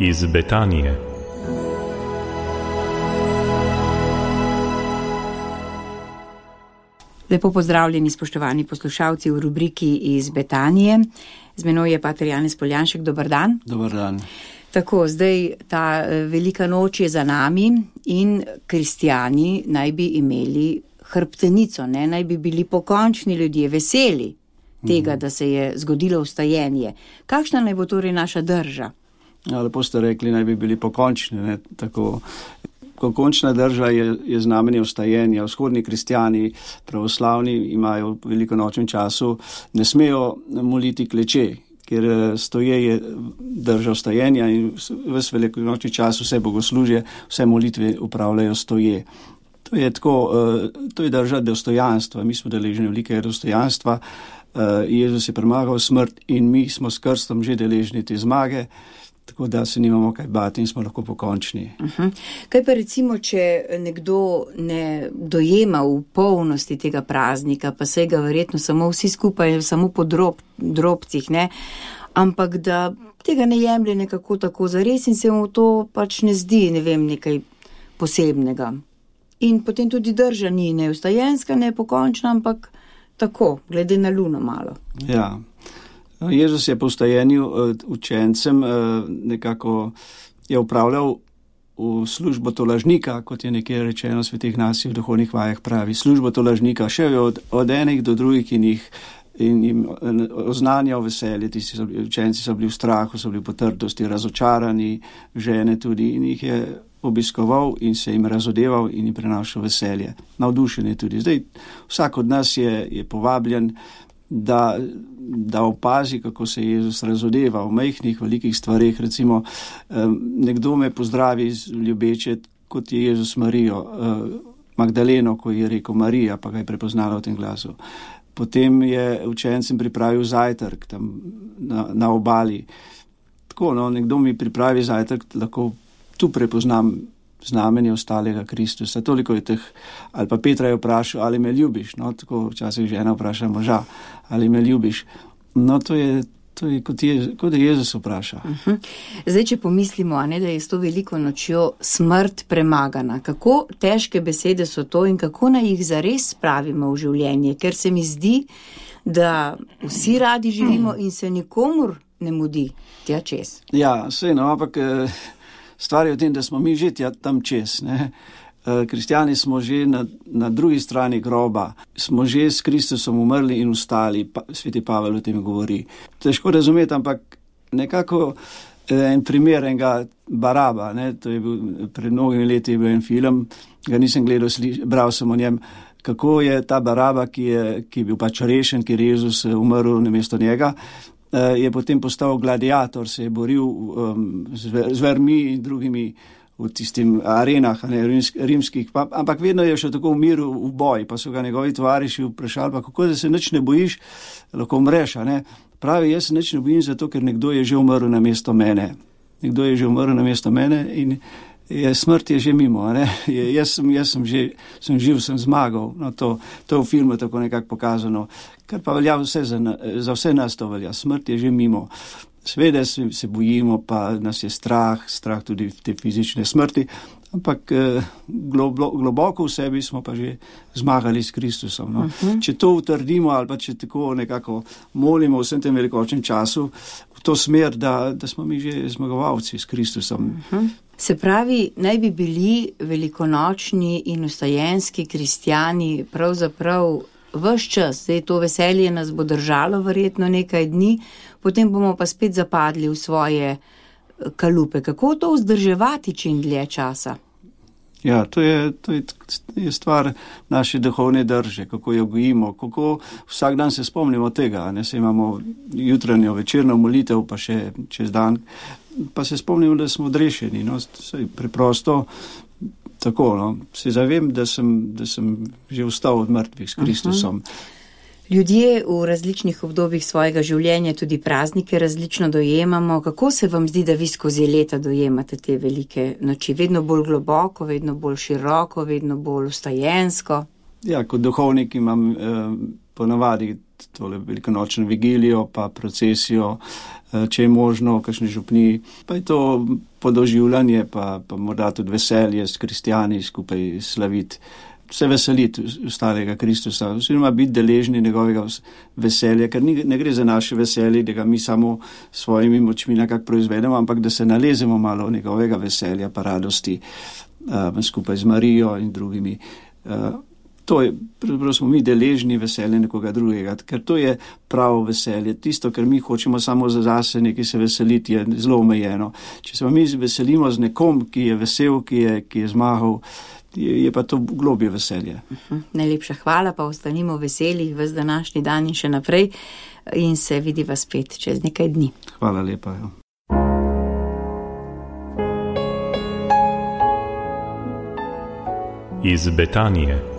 iz Betanije. Lepo pozdravljeni, spoštovani poslušalci v rubriki iz Betanije. Z menoj je pater Janez Poljanšek. Dobar dan. Dobar dan. Tako, zdaj ta velika noč je za nami in kristjani naj bi imeli hrbtenico, naj bi bili pokončni ljudje, veseli tega, da se je zgodilo vstajenje. Kakšna naj bo torej naša drža? Ja, lepo ste rekli, naj bi bili pokončni, tako. Končna drža je znamenje vstajenja. Vzhodni kristjani, pravoslavni, imajo v velikonočnem času, ne smejo moliti kleče, ker stoje je drža vstajenja in ves velikonočni čas vse bogoslužje, vse molitve upravljajo stoje. To je tako, to je drža dostojanstva. Mi smo deležni velikega dostojanstva. Jezus je premagal smrt in mi smo s krstom že deležni te zmage. Tako da se nimamo kaj bati in smo lahko pokončni. Kaj pa recimo, če nekdo ne dojema v polnosti tega praznika, pa se ga verjetno samo vsi skupaj, samo po drobcih, ampak da tega ne jemlje nekako tako zares in se mu to pač ne zdi, nekaj posebnega. In potem tudi drža ni ne vstajenska, ne pokončna, ampak tako, glede na luno malo. Ja. Jezus je po vstajenju učencem nekako je upravljal v službo tolažnika, kot je nekje rečeno v svetih nasih v duhovnih vajah pravi. Službo tolažnika, šel je od enih do drugih in jim oznanjal veselje. Učenci so bili v strahu, so bili v potrtosti, razočarani, žene tudi, in jih je obiskoval in se jim razodeval in jim prenašal veselje. Navdušen je tudi. Zdaj, vsak od nas je povabljen, da opazi, kako se Jezus razodeva v majhnih, velikih stvareh. Recimo, nekdo me pozdravi ljubeče, kot je Jezus Marijo, Magdaleno, ko je rekel Marija, pa ga je prepoznala v tem glasu. Potem je učencem pripravil zajtrk tam na obali. Tako, nekdo mi pripravi zajtrk, lahko tu prepoznam znamenje ostalega Kristusa. Toliko je teh, ali pa Petra je vprašal, ali me ljubiš, tako včasih žena vpraša moža, ali me ljubiš. To je kot da Jezus vpraša. Zdaj, če pomislimo, da je s to veliko nočjo smrt premagana, kako težke besede so to in kako naj jih zares spravimo v življenje, ker se mi zdi, da vsi radi živimo in se nikomur ne mudi tja čez. Ja, ampak stvar je v tem, da smo mi že tam čez. Kristjani smo že na drugi strani groba, smo že s Kristusom umrli in vstali, sveti Pavel o tem govori. Težko razumeti, ampak nekako en primer enega Baraba, to je bil, pred mnogimi leti je bil en film, ga nisem gledal, bral sem o njem, kako je ta Baraba, ki je bil pač rešen, ker je Jezus umrl namesto njega, je potem postal gladiator, se je boril z vermi in drugimi v tistim arenah, rimskih, ampak vedno je še tako umiril v boj, pa so ga njegovi tovariši vprašali, pa kako da se nič ne bojiš, lahko umreš, Pravi, jaz se nič ne bojim zato, ker nekdo je že umrl namesto mene. Nekdo je že umrl namesto mene in smrt je že mimo, Jaz sem živ, sem zmagal. To je v filmu tako nekako pokazano. Kar pa velja za vse nas to velja. Smrt je že mimo. Seveda se bojimo, pa nas je strah tudi te fizične smrti, ampak globoko v sebi smo pa že zmagali s Kristusom. Če to utrdimo ali pa če tako nekako molimo v vsem tem velikočnem času v to smer, da smo mi že zmagovalci s Kristusom. Se pravi, naj bi bili velikonočni in vstajenski kristjani pravzaprav ves čas. Zdaj to veselje nas bo držalo verjetno nekaj dni, potem bomo pa spet zapadli v svoje kalupe. Kako to vzdrževati čim dlje časa? Ja, to je stvar naše duhovne drže, kako jo gojimo, kako vsak dan se spomnimo tega, se imamo jutranjo, večerno molitev, pa še čez dan, pa se spomnimo, da smo odrešeni, preprosto tako, se zavem, da sem že vstal od mrtvih s Kristusom. Ljudje v različnih obdobjih svojega življenja tudi praznike različno dojemamo. Kako se vam zdi, da vi skozi leta dojemate te velike noči? Vedno bolj globoko, vedno bolj široko, vedno bolj vstajensko? Ja, kot duhovnik imam ponavadi tole velikonočno vigilijo, pa procesijo, če je možno, kakšne župni, pa je to podoživljanje, pa morda tudi veselje s kristjani skupaj slaviti, se veseliti ustalega Kristusa, oziroma biti deležni njegovega veselja, ker ne gre za naše veselje, da ga mi samo svojimi močmi nekako proizvedemo, ampak da se nalezemo malo njegovega veselja pa radosti skupaj z Marijo in drugimi. To je, pravzaprav smo mi deležni veselja nekoga drugega, ker to je pravo veselje. Tisto, ker mi hočemo samo za zase nekaj se veseliti, je zelo omejeno. Če se mi veselimo z nekom, ki je vesel, ki je zmagal, je pa to globje veselje. Najlepša hvala, pa ostanimo veseli ves današnji dan in še naprej in se vidiva spet čez nekaj dni. Hvala lepa. Iz Betanije.